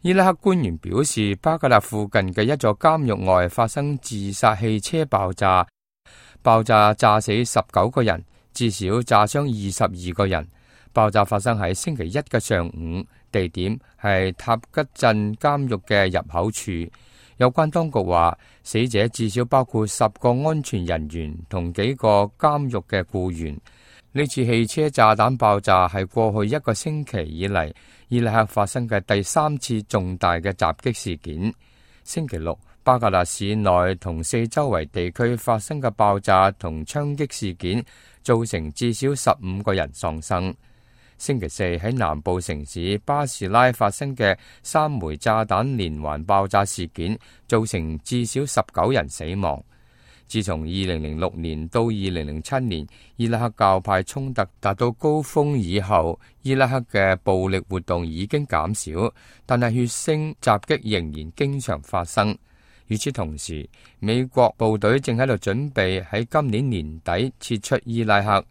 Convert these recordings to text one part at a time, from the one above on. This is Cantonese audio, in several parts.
伊拉克官員表示，巴格達附近嘅一座監獄外發生自殺汽車爆炸，爆炸炸死19個人，至少炸傷22個人。爆炸發生喺星期一嘅上午，地點係塔吉鎮監獄嘅入口處。有關當局話，死者至少包括10個安全人員同幾個監獄嘅僱員。呢次汽車炸彈爆炸係過去1個星期以嚟伊拉克發生嘅第3次重大嘅襲擊事件。星期六，巴格達市內同四周圍地區發生嘅爆炸同槍擊事件，造成至少15個人喪生。星期四喺南部城市巴士拉發生嘅3枚炸彈連環爆炸事件，造成至少19人死亡。自從2006年到2007年，伊拉克教派衝突達到高峰以後，伊拉克嘅暴力活動已經減少，但係血腥襲擊仍然經常發生。與此同時，美國部隊正喺度準備喺今年年底撤出伊拉克。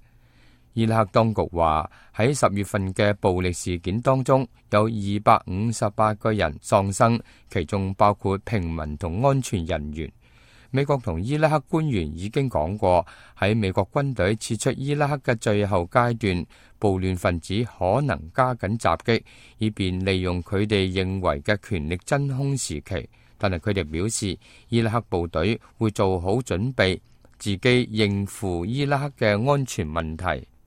伊拉克當局話，喺10月份嘅暴力事件當中，有258個人喪生，其中包括平民同安全人員。美國同伊拉克官員已經講過，喺美國軍隊撤出伊拉克嘅最後階段，暴亂分子可能加緊襲擊，以便利用佢哋認為嘅權力真空時期。但係佢哋表示，伊拉克部隊會做好準備，自己應付伊拉克嘅安全問題。